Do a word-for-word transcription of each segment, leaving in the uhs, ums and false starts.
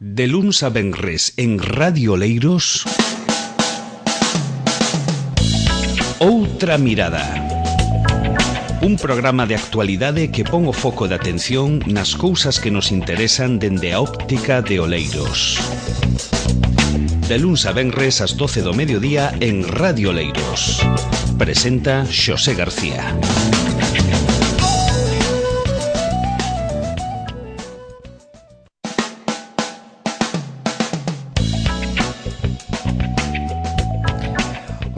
De luns a venres en Radio Oleiros, Outra Mirada. Un programa de actualidade que pon o foco de atención nas cousas que nos interesan dende a óptica de Oleiros. De luns a venres ás doce do mediodía en Radio Oleiros. Presenta Xosé García.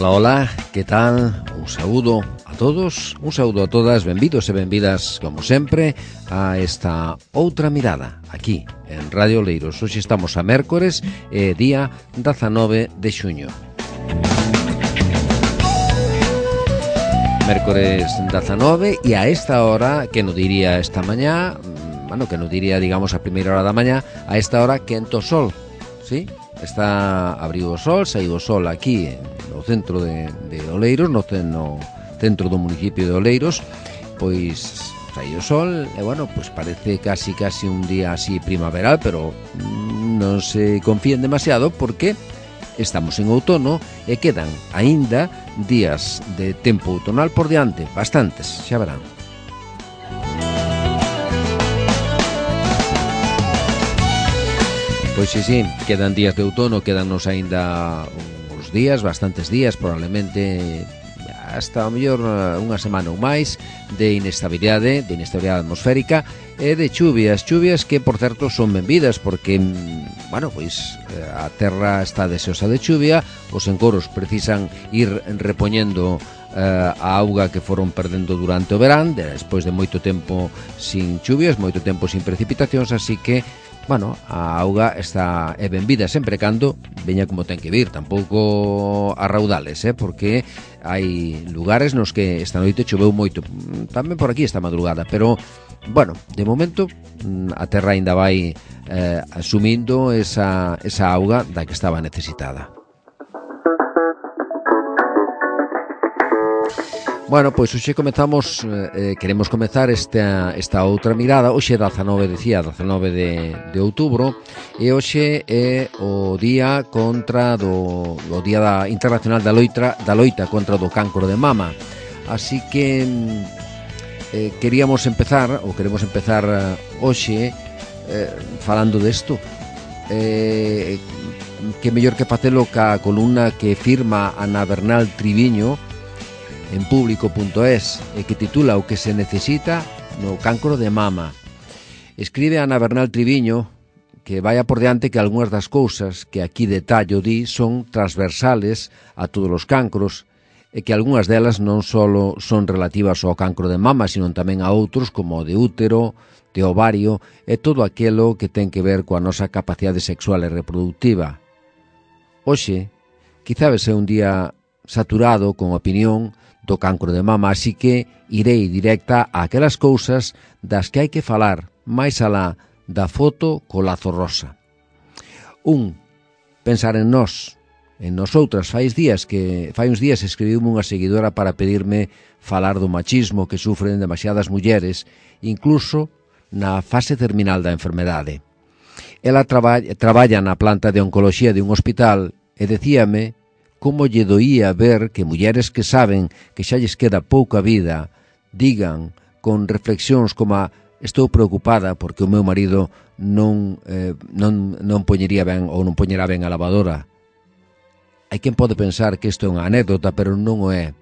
Hola, hola, que tal? Un saúdo a todos, un saúdo a todas, benvidos e benvidas, como sempre, a esta Outra Mirada, aquí, en Radio Oleiros. Hoxe estamos a mércores, eh, día dezanove de xuño. Mércores dezanove, e a esta hora, que non diría esta mañá, bueno, que non diría, digamos, a primeira hora da mañá, a esta hora quento o sol, ¿sí? Está abriu o sol, saiu o sol aquí no centro de, de Oleiros, no, no centro do municipio de Oleiros, pois saiu o sol e, bueno, pois parece casi casi un día así primaveral, pero non se confíen demasiado porque estamos en outono e quedan aínda días de tempo outonal por diante, bastantes, xa verán. Pois sí, sí, quedan días de outono, quedanos aínda uns días, bastantes días, probablemente hasta ao mellor unha semana ou máis de inestabilidade, de inestabilidade atmosférica e de chuvias, chuvias que, por certo, son benvidas porque, bueno, pois a terra está deseosa de chuvia, os encoros precisan ir repoñendo uh, a auga que foron perdendo durante o verán, despois de moito tempo sin chuvias, moito tempo sin precipitacións, así que bueno, a auga está é benvida sempre cando veña como ten que vir, tampouco a raudales, eh, porque hai lugares nos que esta noite choveu moito, tamén por aquí esta madrugada, pero, bueno, de momento a terra ainda vai eh, asumindo esa, esa auga da que estaba necesitada. Bueno, pois hoxe comezamos, eh, queremos comezar esta, esta outra mirada. Hoxe é dezanove, decía, dezanove de, de outubro, e hoxe é o día contra do, o día da, internacional da loita, da loita contra do cancro de mama. Así que eh, queríamos empezar, ou queremos empezar hoxe eh, falando desto. Eh, que mellor que facelo ca columna que firma Ana Bernal Triviño en público punto es e que titula O que se necesita no cancro de mama. Escribe Ana Bernal Triviño que vaya por diante que algunhas das cousas que aquí detallo di son transversales a todos os cancros e que algunhas delas non só son relativas ao cancro de mama, sino tamén a outros como o de útero, de ovario e todo aquilo que ten que ver coa nosa capacidade sexual e reproductiva. Hoxe, quizá é un día saturado con opinión do cancro de mama, así que irei directa a aquelas cousas das que hai que falar máis alá da foto co lazo rosa. Un, pensar en nós, en nosoutras. Fai días que fai uns días escribiume unha seguidora para pedirme falar do machismo que sufren demasiadas mulleres, incluso na fase terminal da enfermedade. Ela traballa, traballa na planta de oncoloxía de un hospital e decíame como lle doía ver que mulleres que saben que xa lles queda pouca vida digan con reflexións como a estou preocupada porque o meu marido non, eh, non, non poñería ben ou non poñerá ben a lavadora. Hai quen pode pensar que isto é unha anécdota, pero non o é.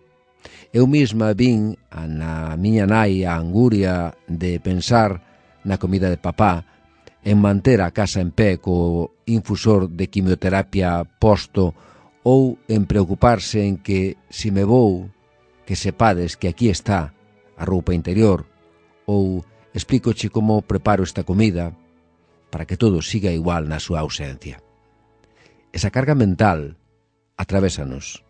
Eu mesma vin a na miña nai a anguria de pensar na comida de papá, en manter a casa en pé co infusor de quimioterapia posto ou en preocuparse en que, se me vou, que sepades que aquí está a roupa interior, ou explícoche como preparo esta comida para que todo siga igual na súa ausencia. Esa carga mental atravésanos.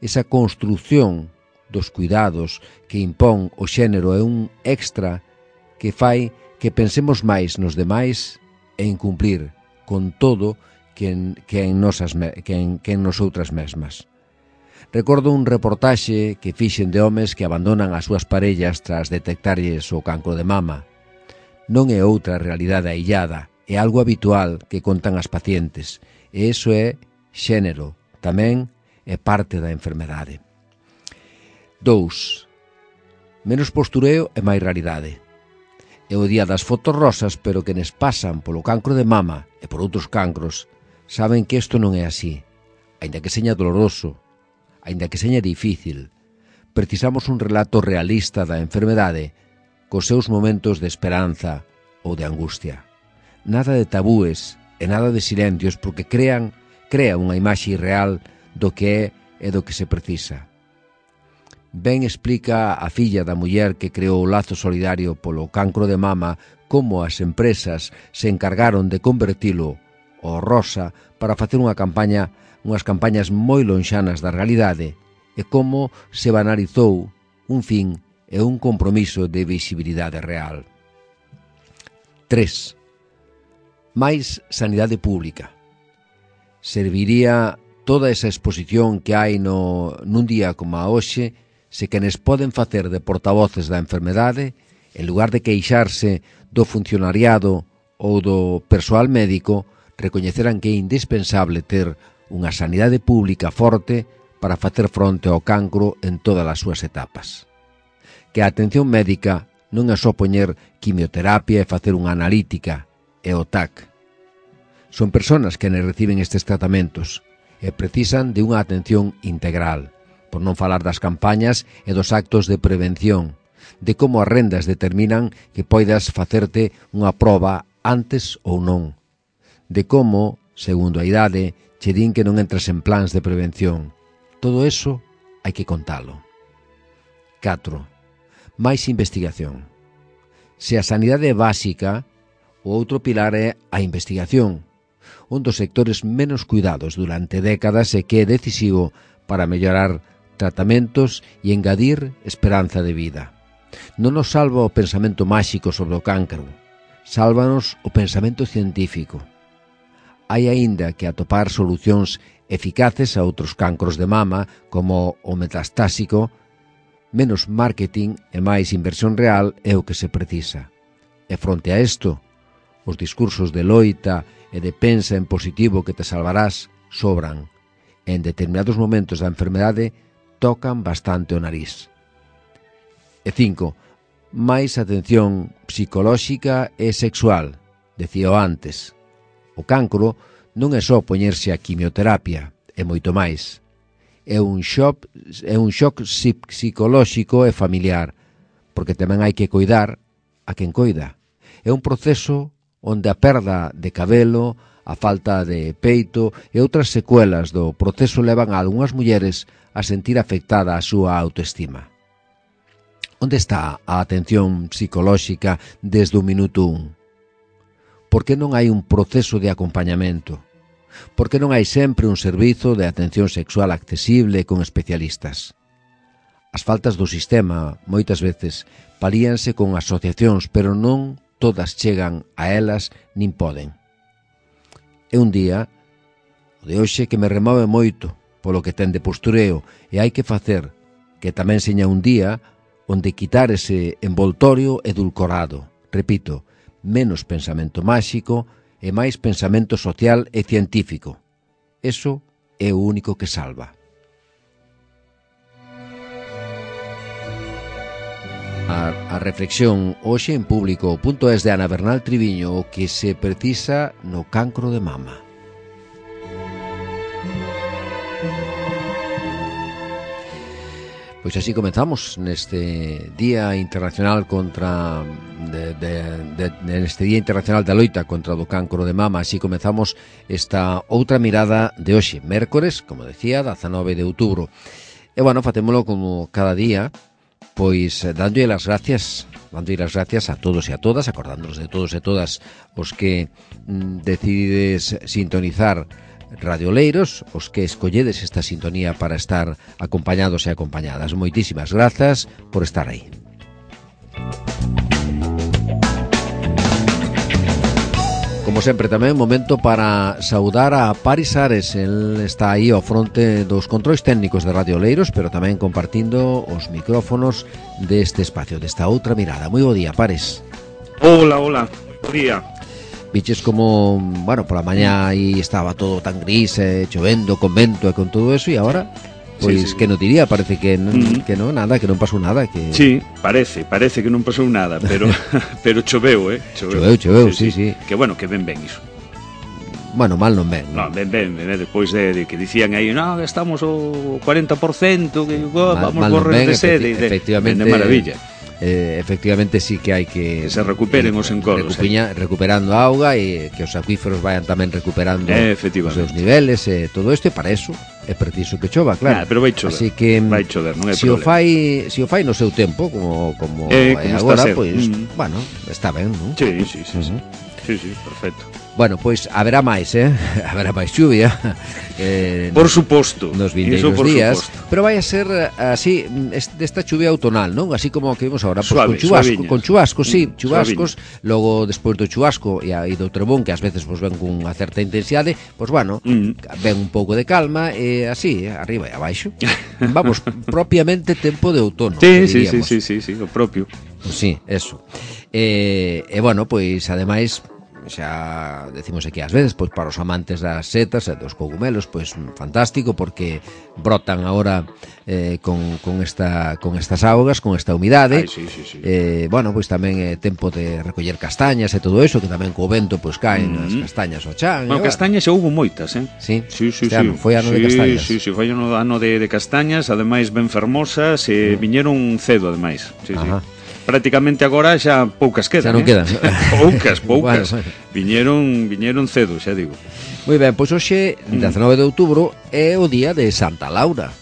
Esa construción dos cuidados que impón o xénero é un extra que fai que pensemos máis nos demais e en cumplir con todo que en, que en, nosas, que en, que en nosoutras mesmas. Recordo un reportaxe que fixen de homes que abandonan as súas parellas tras detectarlles o cancro de mama. Non é outra realidade aillada, é algo habitual que contan as pacientes, e iso é xénero, tamén é parte da enfermedade. Dous. Menos postureo e máis raridade. É o día das fotos rosas, pero que nes pasan polo cancro de mama e por outros cancros saben que isto non é así. Aínda que seña doloroso, aínda que seña difícil, precisamos un relato realista da enfermedade cos seus momentos de esperanza ou de angustia. Nada de tabúes e nada de silencios, porque crean, crea unha imaxe irreal do que é e do que se precisa. Ben explica a filla da muller que creou o lazo solidario polo cancro de mama como as empresas se encargaron de convertilo ao rosa para facer unha campaña, unhas campañas moi lonxanas da realidade e como se banalizou un fin e un compromiso de visibilidade real. tres. Mais sanidade pública. Serviría toda esa exposición que hai no, nun día como a hoxe se quenes poden facer de portavoces da enfermedade, en lugar de queixarse do funcionariado ou do persoal médico, recoñeceran que é indispensable ter unha sanidade pública forte para facer fronte ao cancro en todas as súas etapas. Que a atención médica non é só poñer quimioterapia e facer unha analítica e o T A C. Son persoas que ne reciben estes tratamentos e precisan de unha atención integral, por non falar das campañas e dos actos de prevención, de como as rendas determinan que poidas facerte unha proba antes ou non, de como, segundo a idade, che din que non entras en plans de prevención. Todo eso hai que contalo. catro. Mais investigación. Se a sanidade é básica, o outro pilar é a investigación, un dos sectores menos cuidados durante décadas e que é decisivo para mellorar tratamentos e engadir esperanza de vida. Non nos salva o pensamento máxico sobre o cancro, sálvanos o pensamento científico. Hai aínda que atopar solucións eficaces a outros cancros de mama, como o metastásico. Menos marketing e máis inversión real é o que se precisa. E fronte a isto, os discursos de loita e de pensa en positivo que te salvarás sobran. En determinados momentos da enfermedade tocan bastante o nariz. E cinco. Máis atención psicolóxica e sexual, decío antes. O cancro non é só poñerse a quimioterapia, é moito máis. É un shock, é un shock psicolóxico e familiar, porque tamén hai que coidar a quen coida. É un proceso onde a perda de cabelo, a falta de peito e outras secuelas do proceso levan a algunhas mulleres a sentir afectada a súa autoestima. Onde está a atención psicolóxica desde o minuto un? Por que non hai un proceso de acompañamento? Por que non hai sempre un servizo de atención sexual accesible con especialistas? As faltas do sistema, moitas veces, palíanse con asociacións, pero non todas chegan a elas nin poden. É un día, o de hoxe, que me remove moito polo que ten de postureo e hai que facer que tamén seña un día onde quitar ese envoltorio edulcorado. Repito, menos pensamento máxico e máis pensamento social e científico. Eso é o único que salva. A, a reflexión hoxe en público punto es de Ana Bernal Triviño, o que se precisa no cancro de mama. Pois así comenzamos neste Día Internacional contra de, de, de, neste Día Internacional da loita contra o cancro de mama. Así comenzamos esta outra mirada de hoxe, mércores, como decía, dezanove de outubro. E bueno, facémolo como cada día, pois dándolle as gracias, dándolle as gracias a todos e a todas, acordándonos de todos e todas os que mm, decidides sintonizar Radio Oleiros, os que escolledes esta sintonía para estar acompañados e acompañadas. Moitísimas grazas por estar aí. Como sempre tamén, momento para saudar a Paris Ares. El está aí ao fronte dos controis técnicos de Radio Oleiros, pero tamén compartindo os micrófonos deste espacio, desta outra mirada. Moi bo día, Paris. Hola, hola, bo día. Viches como, bueno, pola mañá aí estaba todo tan gris, eh, chovendo, con vento e con todo eso, e agora, pois, sí, sí. Que non diría, parece que non, mm. que non, nada, que non pasou nada, que... Sí, parece, parece que non pasou nada, pero pero choveu, eh? Choveu, choveu, choveu sí, sí, sí, sí. Que bueno, que ben ben iso. Bueno, mal non ven. Non, ben, ben, ben, despois de, de que dicían aí, no, estamos o cuarenta por cento, que oh, mal, vamos mal correr ben, de sede, efecti efectivamente, de maravilla. Eh, efectivamente sí que hai que... Que se recuperen os encoros. Eh. Recuperando a auga e que os acuíferos vayan tamén recuperando eh, os seus niveles e eh, todo isto, e para eso é preciso que chova, claro. Nah, pero vai chover. Así que vai chover, non é si problema. o fai, si o fai no seu tempo, como como eh, é agora, pois, pues, mm. bueno, está ben, non? Sí, sí, sí, uh -huh. sí. Sí, sí, perfecto. Bueno, pois haberá máis, eh? Haberá máis chuvia eh, por suposto nos vindeiros días, suposto. Pero vai a ser así, desta chuvia outonal, non? Así como que vimos agora, Suave, pues, con chubasco, suaviña. con chubascos, sí, mm, chubascos, suaviña. Logo despois do chubasco e aí do trebón, que ás veces vos ven con unha certa intensidade, pois pues, bueno, mm. ven un pouco de calma e así, arriba e abaixo. Vamos, propiamente tempo de outono. Sí, sí, sí, sí, sí, sí, o propio. Pues sí, eso. E, e bueno, pois ademais, xa decimos aquí ás veces, pois para os amantes das setas e dos cogumelos, pois fantástico, porque brotan agora eh, con, con, esta, con estas augas, con esta humidade. Ai, sí, sí, sí. Eh, bueno, pois tamén é tempo de recoller castañas e todo eso, que tamén co vento pois caen mm. as castañas ao chan. Bueno, castañas xa houve moitas, eh? Sí, sí, sí, este sí. ano, foi ano sí, de castañas. Sí, sí, foi ano, ano de, de castañas, ademais ben fermosas, e mm. viñeron cedo, ademais. Sí, Ajá. sí. Prácticamente agora xa poucas quedan. Xa non eh? quedan. poucas, poucas. Bueno, viñeron, viñeron cedo, xa digo. Moi ben, pois hoxe, dezanove de outubro, é o día de Santa Laura.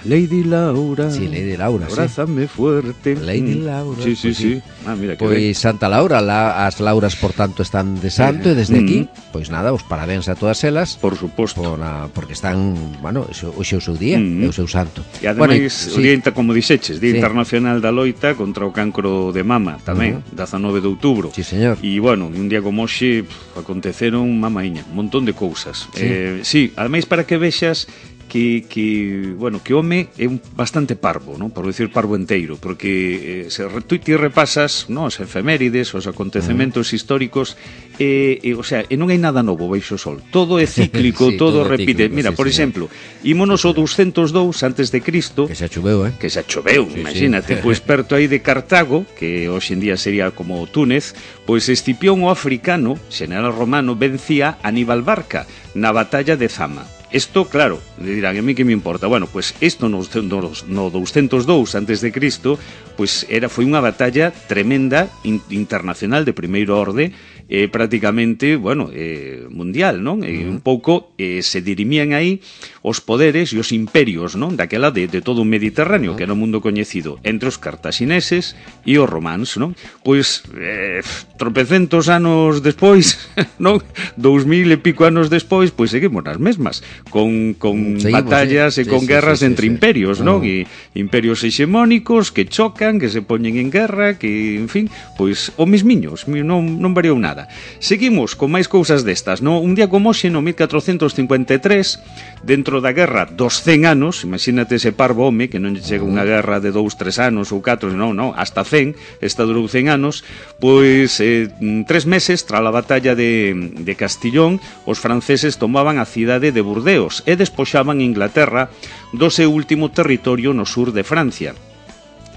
Lady Laura. Sí, Lady Laura, abrázame sí. fuerte. Lady Laura. Sí, sí, pues sí. sí. Ah, mira que pois ben. Santa Laura, la, as Lauras, por tanto, están de santo, e desde mm. aquí, pois nada, os parabéns a todas elas. Por suposto. Por a, porque están, bueno, hoxe é o seu día, mm. é o seu santo. E ademais, bueno, o día, sí. como dixeches, Día sí. Internacional da Loita contra o cancro de mama, tamén, uh -huh. dezanove de outubro. Sí, señor. E, bueno, un día como hoxe, pff, aconteceron mamaíña, un montón de cousas. Sí, eh, sí ademais, para que vexas que, que bueno, que home é un bastante parvo, ¿no? Por decir parvo enteiro, porque eh, se tú ti repasas, ¿no?, as efemérides, os acontecementos uh -huh. históricos, e, eh, eh, o sea, e non hai nada novo baixo o sol. Todo é cíclico, sí, todo, todo repite. Cíclico, Mira, sí, por sí, exemplo, ímonos o douscentos dous antes de Cristo, que xa choveu, eh? Que xa choveu, sí, imagínate, sí. Pois perto aí de Cartago, que hoxe en día sería como Túnez, pois Escipión o africano, xeneral romano, vencía a Aníbal Barca na batalla de Zama. Isto, claro, dirán, a mí que me importa. Bueno, pois isto no, no, no douscentos dous antes de Cristo, pois era foi unha batalla tremenda in, internacional de primeiro orde, eh, prácticamente, bueno, eh, mundial, non? E un pouco eh, se dirimían aí os poderes e os imperios, non? Daquela de, de todo o Mediterráneo, que era o mundo coñecido, entre os cartaxineses e os románs, non? Pois, eh, tropecentos anos despois, non? Dous mil e pico anos despois, pois seguimos nas mesmas, con, con seguimos, batallas sí. e con sí, guerras sí, sí, entre sí, imperios, sí. non? E imperios hexemónicos que chocan, que se poñen en guerra, que, en fin, pois, o mismiños, non, non variou nada. Seguimos con máis cousas destas, non? Un día como hoxe, no mil catrocentos cincuenta e tres, dentro da guerra dos cen anos, imagínate ese parvo home, que non chega unha guerra de dous, tres anos ou catro, non, non, hasta cen, esta durou cen anos, pois eh, tres meses tras a batalla de, de Castillón, os franceses tomaban a cidade de Burdeos e despoxaban Inglaterra do seu último territorio no sur de Francia.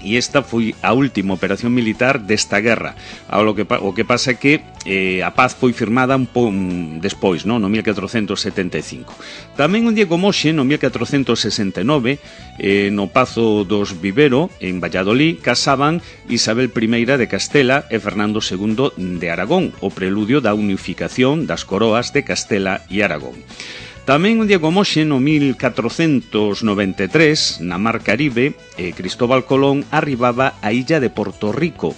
E esta foi a última operación militar desta guerra. O que, o que pasa é que eh, a paz foi firmada un pouco despois, non? No mil catrocentos setenta e cinco. Tamén un día como hoxe, no mil catrocentos sesenta e nove, eh, no Pazo dos Vivero, en Valladolid, casaban Isabel primeira de Castela e Fernando segundo de Aragón, o preludio da unificación das coroas de Castela e Aragón. Tamén un día como hoxe, no mil catrocentos noventa e tres, na Mar Caribe, eh, Cristóbal Colón arribaba á illa de Porto Rico,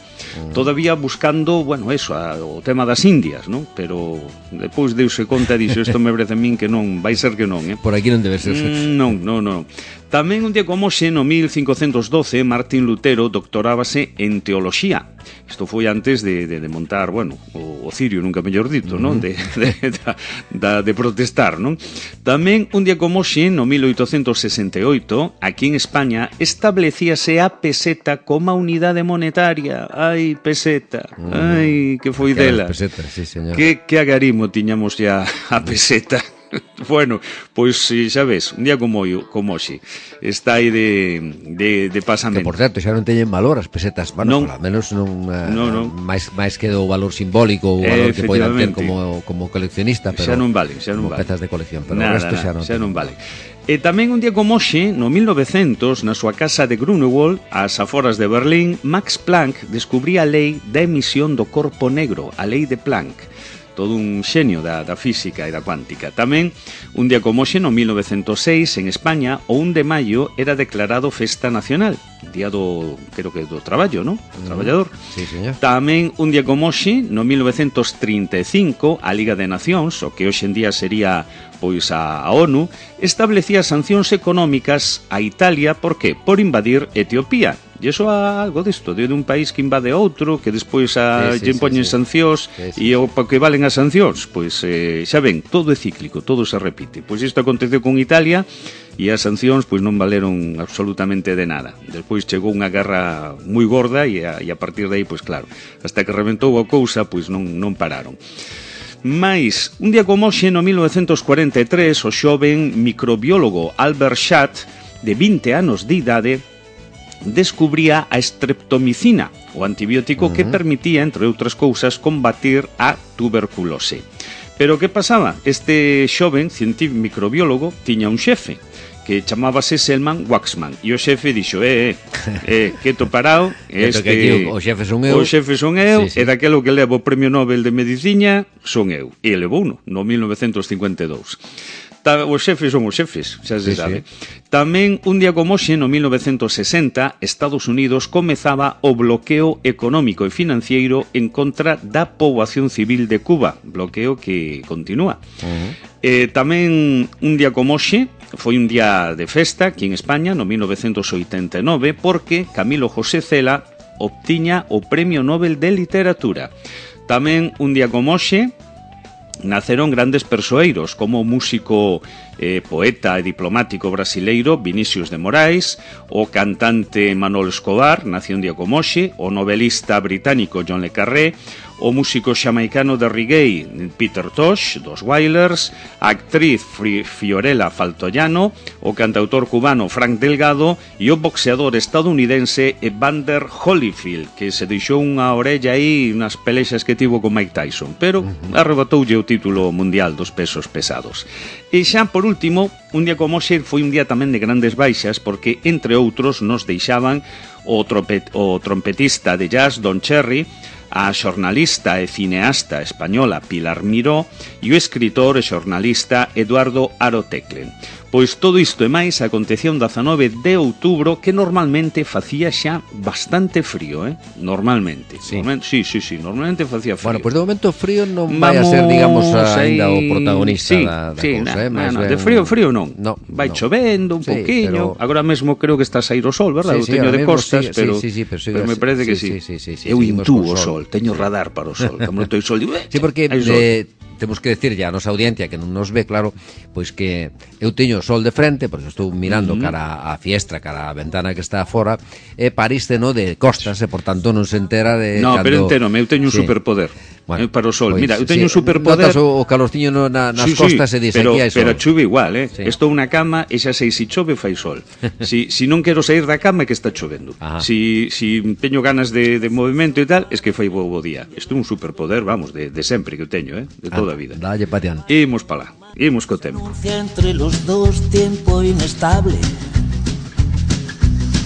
todavía buscando, bueno, eso, a, o tema das Indias, ¿no? Pero depois deuse conta e dixo, isto me parece a min que non, vai ser que non, eh? Por aquí non debe ser. Mm, non, non, non. Tamén un día como hoxe, no mil cincocentos doce, Martín Lutero doctorábase en teoloxía. Isto foi antes de, de, de montar, bueno, o, o cirio, nunca mellor dito, uh -huh. non? De, de, de, de, de protestar, non? Tamén un día como hoxe, no mil oitocentos sesenta e oito, aquí en España, establecíase a peseta como unidade monetaria. ai, peseta, mm. ai, que foi dela. Pesetas, sí, señor. Que, que agarimo tiñamos ya a peseta. Bueno, pois xa ves, un día como hoy, como hoxe, está aí de, de, de pasamento. Que por certo, xa non teñen valor as pesetas, bueno, non, polo menos non, uh, non, non. máis, máis que do valor simbólico ou valor que poidan ter como, como coleccionista, pero xa non vale, xa non como vale. pezas de colección, pero nada, o resto xa nada, non, xa non vale. E tamén un día como hoxe, no mil novecentos, na súa casa de Grunewald, ás aforas de Berlín, Max Planck descubría a lei da emisión do corpo negro, a lei de Planck. Todo un xenio da, da física e da cuántica. Tamén, un día como hoxe, no mil novecentos seis, en España, o un de maio era declarado festa nacional. Día do, creo que do traballo, ¿no? Do traballador. Sí, señor. Tamén, un día como hoxe, no mil novecentos trinta e cinco, a Liga de Nacións, o que hoxe en día sería pois a, a ONU, establecía sancións económicas a Italia, por que? Por invadir Etiopía. E iso a algo disto, de un país que invade outro, que despois a sí, sí, impoñen sí, sí. sancións, sí, sí. E o pa que valen as sancións, pois eh, xa ven, todo é cíclico, todo se repite. Pois isto aconteceu con Italia e as sancións pois non valeron absolutamente de nada. Despois chegou unha guerra moi gorda e a, e a partir de aí, pois claro, hasta que reventou a cousa, pois non, non pararon. Mais, un día como hoxe, no mil novecentos cuarenta e tres, o xoven microbiólogo Albert Schadt, de vinte anos de idade, descubría a streptomicina, o antibiótico uh-huh. que permitía, entre outras cousas, combatir a tuberculose. Pero que pasaba? Este xoven científico microbiólogo tiña un xefe que chamábase Selman Waxman, e o xefe dixo, eh, eh, eh quieto parado, este, que o xefe son eu, o xefe son eu, sí, sí. E daquelo que levo o Premio Nobel de Medicina son eu, e levou uno, no mil novecentos cincuenta e dous. Os xefes son os xefes, xa se sí, sabe. Sí. Tamén, un día como hoxe, no mil novecentos sesenta, Estados Unidos comezaba o bloqueo económico e financiero en contra da poboación civil de Cuba, bloqueo que continúa. Uh-huh. Eh, tamén, un día como hoxe, foi un día de festa aquí en España, no mil novecentos oitenta e nove, porque Camilo José Cela obtiña o Premio Nobel de Literatura. Tamén, un día como hoxe, naceron grandes persoeiros como o músico, eh, poeta e diplomático brasileiro Vinicius de Moraes, o cantante Manolo Escobar, nació un día como hoxe, o novelista británico John le Carré, o músico xamaicano de reggae Peter Tosh, dos Wailers, a actriz Fiorella Faltoyano, o cantautor cubano Frank Delgado e o boxeador estadounidense Evander Holyfield, que se deixou unha orella aí nas pelexas que tivo con Mike Tyson, pero arrebatoulle o título mundial dos pesos pesados. E xa, por último, un día como hoxe foi un día tamén de grandes baixas, porque, entre outros, nos deixaban o, trompet, o trompetista de jazz Don Cherry, a xornalista e cineasta española Pilar Miró e o escritor e xornalista Eduardo Aro Teclen. Pois todo isto e máis acontecía un dezanove de outubro, que normalmente facía xa bastante frío, eh? Normalmente. Sí, normalmente, sí, sí, sí, normalmente facía frío. Bueno, pois pues de momento frío non vai a ser, digamos, ainda o protagonista sí, da, da sí, cousa, eh? Na, na, ben... de frío, frío non. No, vai no. chovendo un sí, poquinho. pero... Agora mesmo creo que está a sair o sol, verdad? Sí, sí, o teño de costas, sí, pero, sí, sí, pero, sí, pero me parece que sí. sí, sí, sí, sí, Eu intúo o sol. sol, teño radar para o sol. Como non sol, digo, sí, porque eh, temos que decir ya a nosa audiencia que non nos ve, claro, pois que eu teño o sol de frente, porque estou mirando uh-huh. cara á fiestra, cara á ventana que está fora, e París no de costas, e por tanto non se entera de no, cando... pero entero, eu teño un sí. superpoder. Bueno, eu para o sol. Pois, Mira, eu teño sí, un superpoder. Notas o, o calorciño no, na, nas sí, costas sí, e dice pero, aquí hai sol. Pero chove igual, eh? Sí. Estou na cama e xa sei se chove fai sol. si, si non quero sair da cama é que está chovendo. Ajá. Si, si teño ganas de, de movimento e tal, es que fai bo, bo día. Isto é un superpoder, vamos, de, de sempre que eu teño, eh? De toda a vida. Ah, dalle patián. Imos para lá, imos co tempo. Entre los dos, tiempo inestable.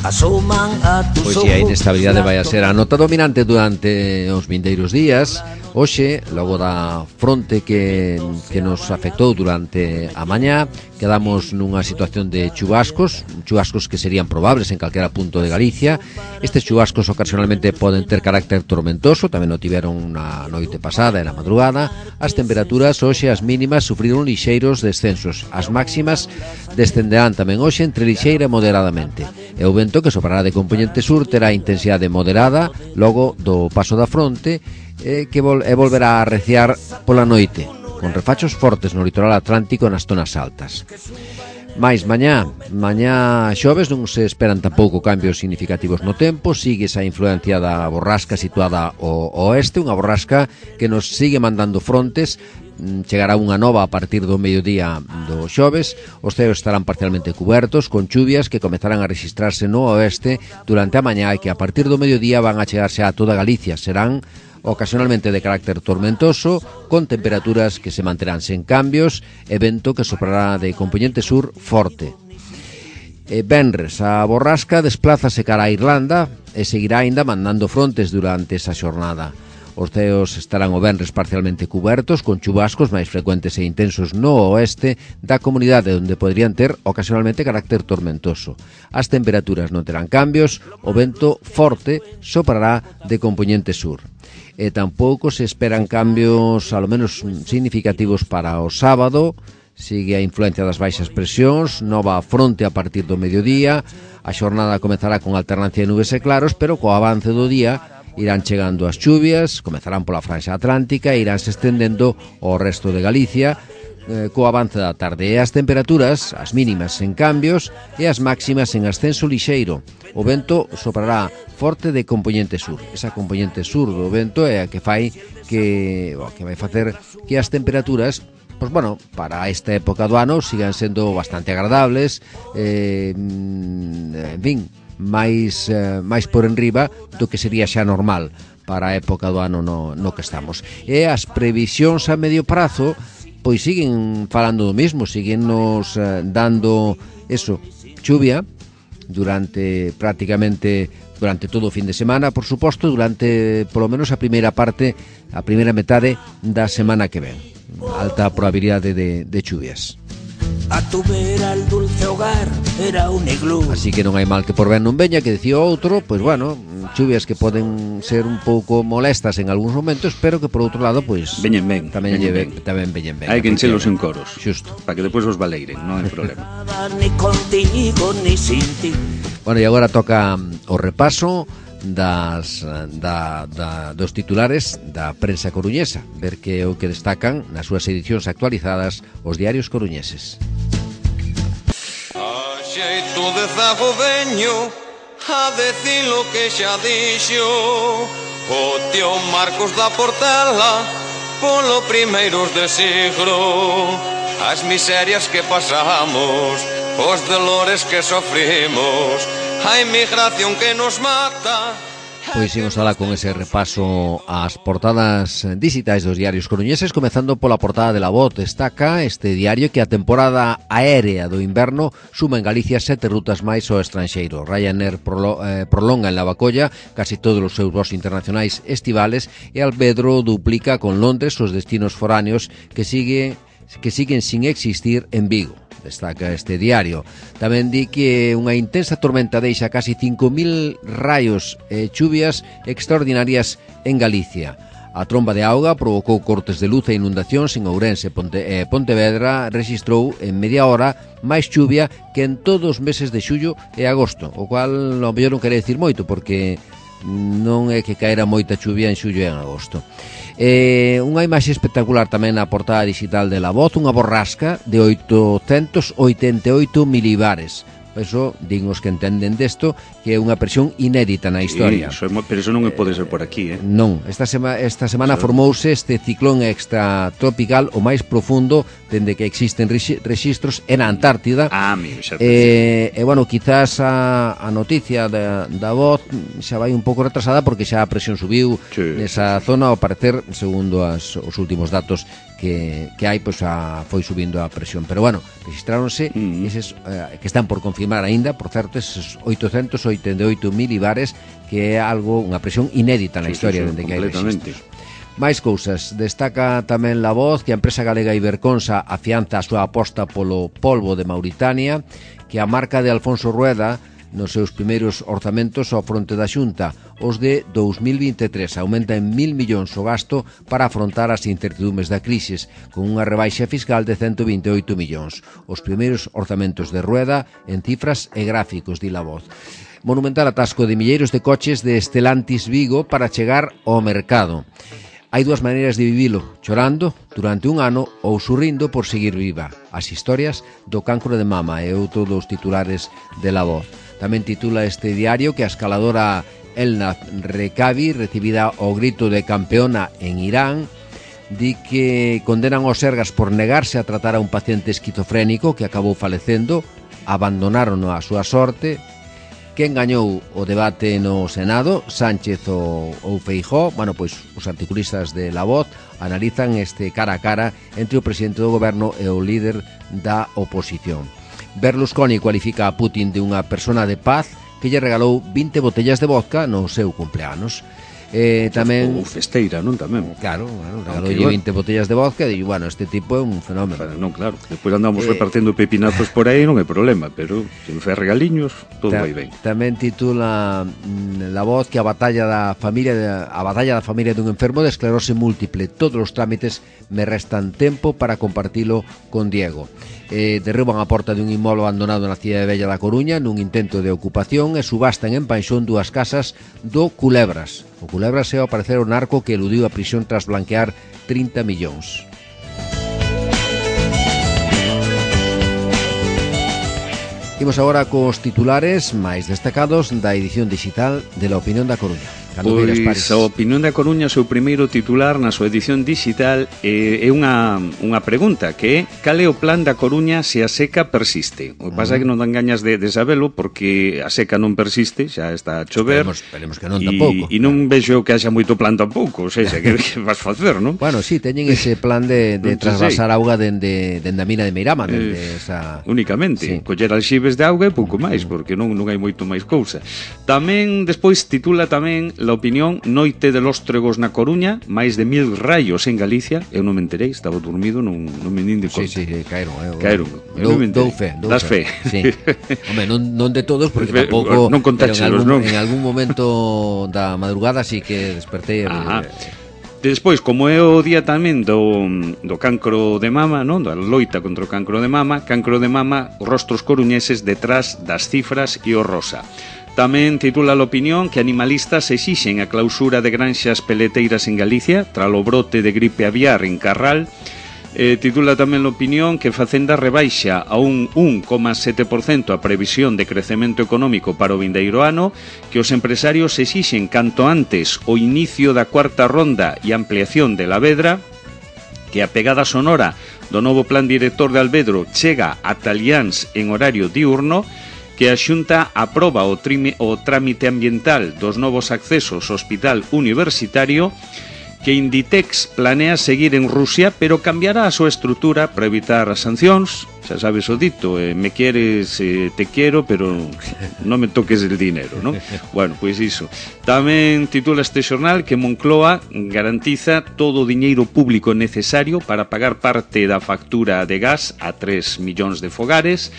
Asoman a tus Pois si a inestabilidade vai a ser a nota dominante durante os vindeiros días. Hoxe, logo da fronte que, que nos afectou durante a mañá, quedamos nunha situación de chubascos, chubascos que serían probables en calquera punto de Galicia. Estes chubascos ocasionalmente poden ter carácter tormentoso, tamén o tiveron na noite pasada e na madrugada. As temperaturas hoxe, as mínimas, sufriron lixeiros descensos. As máximas descenderán tamén hoxe entre lixeira e moderadamente. E o vento, que soprará de componente sur, terá intensidade moderada logo do paso da fronte, eh, que vol e volverá a arreciar pola noite, con refachos fortes no litoral atlántico e nas zonas altas. Mais mañá, mañá xoves non se esperan tampouco cambios significativos no tempo, sigue esa influencia da borrasca situada ao oeste, unha borrasca que nos sigue mandando frontes. Chegará unha nova a partir do mediodía do xoves. Os ceos estarán parcialmente cubertos con chuvias que comezarán a registrarse no oeste durante a mañá e que a partir do mediodía van a chegarse a toda Galicia. Serán ocasionalmente de carácter tormentoso, con temperaturas que se manterán sen cambios e vento que soprará de componente sur forte. E venres, a borrasca desplázase cara a Irlanda e seguirá aínda mandando frontes durante esa xornada. Os ceos estarán o venres parcialmente cubertos, con chubascos máis frecuentes e intensos no oeste da comunidade, onde podrían ter ocasionalmente carácter tormentoso. As temperaturas non terán cambios, o vento forte soprará de componente sur. E tampouco se esperan cambios, alo menos significativos, para o sábado. Sigue a influencia das baixas presións, nova fronte a partir do mediodía. A xornada comezará con alternancia de nubes e claros, pero co avance do día irán chegando as chuvias, comezarán pola franxa atlántica e irán se estendendo ao resto de Galicia eh, co avance da tarde. E as temperaturas, as mínimas en cambios e as máximas en ascenso lixeiro. O vento soprará forte de componente sur. Esa componente sur do vento é a que fai que, o, que vai facer que as temperaturas, pois bueno, para esta época do ano sigan sendo bastante agradables, eh, en fin, máis, eh, máis por enriba do que sería xa normal para a época do ano no, no que estamos. E as previsións a medio prazo pois siguen falando do mismo, siguen nos eh, dando eso, chuvia durante prácticamente durante todo o fin de semana, por suposto, durante polo menos a primeira parte, a primeira metade da semana que ven. Alta probabilidade de, de chuvias. A tu vera el dulce hogar era un iglú. Así que non hai mal que por ben non veña, que dicía outro, pois bueno, chuvias que poden ser un pouco molestas en algúns momentos, pero que por outro lado, pois veñen ben, tamén veñen lleve, ben. tamén veñen ben. Hai que enchelos en coros. Xusto. Para que depois os valeiren, non hai problema. Ni contigo ni sin ti. Bueno, e agora toca o repaso das da, da, dos titulares da prensa coruñesa, ver que é o que destacan nas súas edicións actualizadas os diarios coruñeses. A xeito de zago veño a decir lo que xa dixo o tío Marcos da Portela polo primeiros de siglo. As miserias que pasamos, os dolores que sofrimos, a inmigración que nos mata. Pois imos alá con ese repaso ás portadas digitais dos diarios coruñeses, comezando pola portada de La Voz. Destaca este diario que a temporada aérea do inverno suma en Galicia sete rutas máis ao estranxeiro. Ryanair prolo, eh, prolonga en Lavacolla casi todos os seus voos internacionais estivales e Alvedro duplica con Londres os destinos foráneos que sigue que siguen sin existir en Vigo. Destaca este diario. Tamén di que unha intensa tormenta deixa casi cinco mil raios e chuvias extraordinarias en Galicia. A tromba de auga provocou cortes de luz e inundacións en Ourense. Ponte, eh, Pontevedra rexistrou en media hora máis chuvia que en todos os meses de xullo e agosto, o cual ao mellor non quere dicir moito, porque non é que caera moita chuvia en xullo e en agosto. Eh, unha imaxe espectacular tamén na portada digital de La Voz, unha borrasca de oitocentos oitenta e oito milibares. Eso, din os que entenden desto, que é unha presión inédita na historia. Sí, pero eso non pode ser por aquí, eh? Non, esta, sema, esta semana so... formouse este ciclón extratropical o máis profundo dende que existen rexistros en a Antártida. Ah, mira, xa e, e, bueno, quizás a, a noticia da, da Voz xa vai un pouco retrasada porque xa a presión subiu sí, nesa sí, zona, ao parecer, segundo as, os últimos datos que, que hai, pois a, foi subindo a presión. Pero bueno, registráronse mm. eses eh, que están por confirmar aínda, por certo, eses oitocentos oitenta e oito milibares, que é algo, unha presión inédita na sí, historia sí, dende que hai registros. Mais cousas, destaca tamén La Voz que a empresa galega Iberconsa afianza a súa aposta polo polvo de Mauritania, que a marca de Alfonso Rueda nos seus primeiros orzamentos ao fronte da Xunta, os de dous mil vinte e tres, aumenta en mil millóns o gasto para afrontar as incertidumes da crisis, con unha rebaixa fiscal de cento vinte e oito millóns. Os primeiros orzamentos de Rueda en cifras e gráficos, di La Voz. Monumental atasco de milleiros de coches de Stellantis Vigo para chegar ao mercado. Hai dúas maneiras de vivilo, chorando durante un ano ou sorrindo por seguir viva. As historias do cancro de mama é outro dos titulares de La Voz. Tamén titula este diario que a escaladora Elnaz Rekabi, recibida ao grito de campeona en Irán, di que condenan aos sergas por negarse a tratar a un paciente esquizofrénico que acabou falecendo, abandonaron a súa sorte. Quen gañou o debate no Senado, Sánchez ou, ou Feijóo? Bueno, pois os articulistas de La Voz analizan este cara a cara entre o presidente do goberno e o líder da oposición. Berlusconi cualifica a Putin de unha persona de paz que lle regalou vinte botellas de vodka no seu cumpleanos. Eh, tamén Ou festeira, non tamén? Claro, bueno, regaloulle vinte botellas de vodka e digo, bueno, este tipo é un fenómeno. Para, non, claro, despois andamos Eh, repartindo pepinazos por aí, non é problema, pero se me fai regaliños, todo Ta- vai ben. Tamén titula mm, La Voz que a batalla da familia de, a batalla da familia dun enfermo de esclerose múltiple. Todos os trámites me restan tempo para compartilo con Diego. Eh, derruban a porta dun inmueble abandonado na cidade Vella da Coruña nun intento de ocupación e subastan en Panxón dúas casas do Culebras. O Culebras é ao parecer o narco que eludiu a prisión tras blanquear trinta millóns. Imos agora cos titulares máis destacados da edición digital de La Opinión da Coruña. Cando queiras, Paris. Pois a Opinión da Coruña, seu primeiro titular na súa edición digital é, é unha, unha pregunta que é: cal é o plan da Coruña se a seca persiste? O que pasa é que non dan gañas de, de sabelo porque a seca non persiste, xa está a chover. Esperemos, esperemos que non tampouco. E non vexo que haxa moito plan tampouco, ou seja, que, que vas facer, non? Bueno, sí, teñen ese plan de, de Non sei. trasvasar auga dende, dende a mina de Meirama, dende Eh, esa... Únicamente, Sí. coller alxibes de auga e pouco máis, porque non non hai moito máis cousa. Tamén, despois, titula tamén La Opinión: Noite de lóstregos na Coruña, máis de mil raios en Galicia. Eu non me enterei, estaba dormido, non, non me nin de Sí, conta. sí, sí, caeron. Eh, Caeron, eu Dou, non me enterei. dou fe, dou Das fe. fe. Sí. Home, non, non de todos, porque Fe- tampouco... non pero en contáchelos, algún, non? en algún momento da madrugada sí que despertei... Ajá. eh, Despois, como é o día tamén do, do cancro de mama, non? Da loita contra o cancro de mama, cancro de mama, os rostros coruñeses detrás das cifras e o rosa. Tamén titula a Opinión que animalistas exixen a clausura de granxas peleteiras en Galicia tras o brote de gripe aviar en Carral. Eh, titula tamén a Opinión que Facenda rebaixa a un un coma sete por cento a previsión de crecemento económico para o vindeiro ano, que os empresarios exixen canto antes o inicio da cuarta ronda e ampliación de Lavedra, que a pegada sonora do novo plan director de Alvedro chega a Taliáns en horario diurno, que a Xunta aproba o, trime, o trámite ambiental dos novos accesos ao hospital universitario, que Inditex planea seguir en Rusia, pero cambiará a súa estrutura para evitar as sancións. Xa sabes o dito, eh, me quieres, eh, te quiero, pero non me toques el dinero, non? Bueno, pois iso. Tamén titula este xornal que Moncloa garantiza todo o diñeiro público necesario para pagar parte da factura de gas a tres millóns de fogares,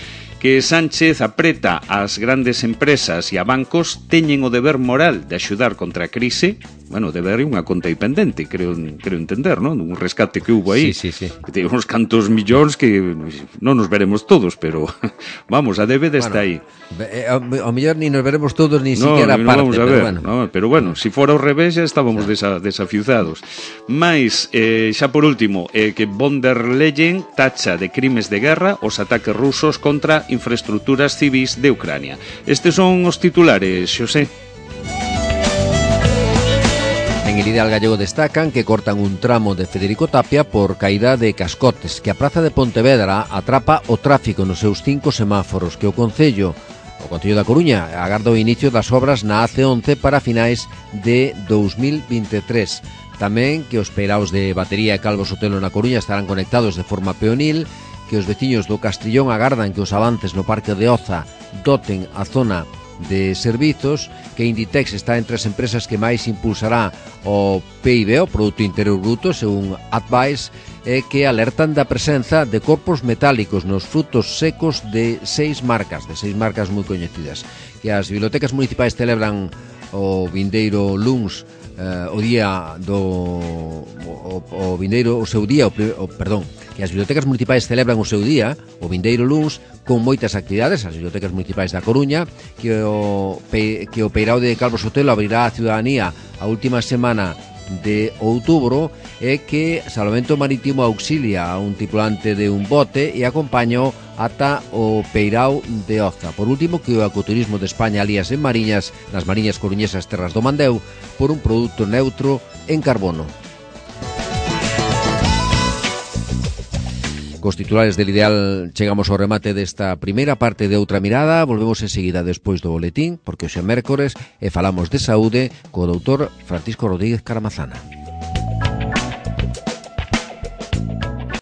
que Sánchez apreta ás grandes empresas e a bancos teñen o deber moral de axudar contra a crise. Bueno, deber é unha conta aí pendente, creo, creo entender, non? Un rescate que hubo aí. Sí, sí, sí. Que ten uns cantos millóns que non nos veremos todos, pero vamos, a débeda Bueno, está aí. eh, ao, ao mellor ni nos veremos todos ni No, siquiera non parte, vamos a pero ver, bueno. no, pero bueno, si fora ao revés xa estábamos desa, desafiuzados. Mais, eh, xa por último, eh, que von der Leyen tacha de crimes de guerra os ataques rusos contra infraestructuras civis de Ucrania. Estes son os titulares, Xosé. En el Ideal Gallego destacan que cortan un tramo de Federico Tapia por caída de cascotes, que a praza de Pontevedra atrapa o tráfico nos seus cinco semáforos, que o Concello, o Concello da Coruña agarda o inicio das obras na A C once para finais de dous mil veintitrés. Tamén que os peiraos de Batería e Calvo Sotelo na Coruña estarán conectados de forma peonil, que os veciños do Castrillón agardan que os avances no Parque de Oza doten a zona de servizos, que Inditex está entre as empresas que máis impulsará o P I B, o Produto Interior Bruto, según Advice, e que alertan da presenza de corpos metálicos nos frutos secos de seis marcas, de seis marcas moi coñecidas. Que as bibliotecas municipais celebran o vindeiro luns, eh, o día do o, o vindeiro o seu día, o, o perdón, que as bibliotecas municipais celebran o seu día, o vindeiro luns, con moitas actividades, as bibliotecas municipais da Coruña, que o, que o Peirao de Calvo Sotelo abrirá a ciudadanía a última semana de outubro é que Salvamento Marítimo auxilia a un tripulante de un bote e acompañou ata o Peirao de Oza. Por último, que o ecoturismo de España alías en Mariñas, nas Mariñas coruñesas Terras do Mandeu, por un produto neutro en carbono. Cos titulares del Ideal chegamos ao remate desta primeira parte de Outra Mirada. Volvemos enseguida despois do boletín, porque hoxe é mércores e falamos de saúde co doutor Francisco Rodríguez Caramazana.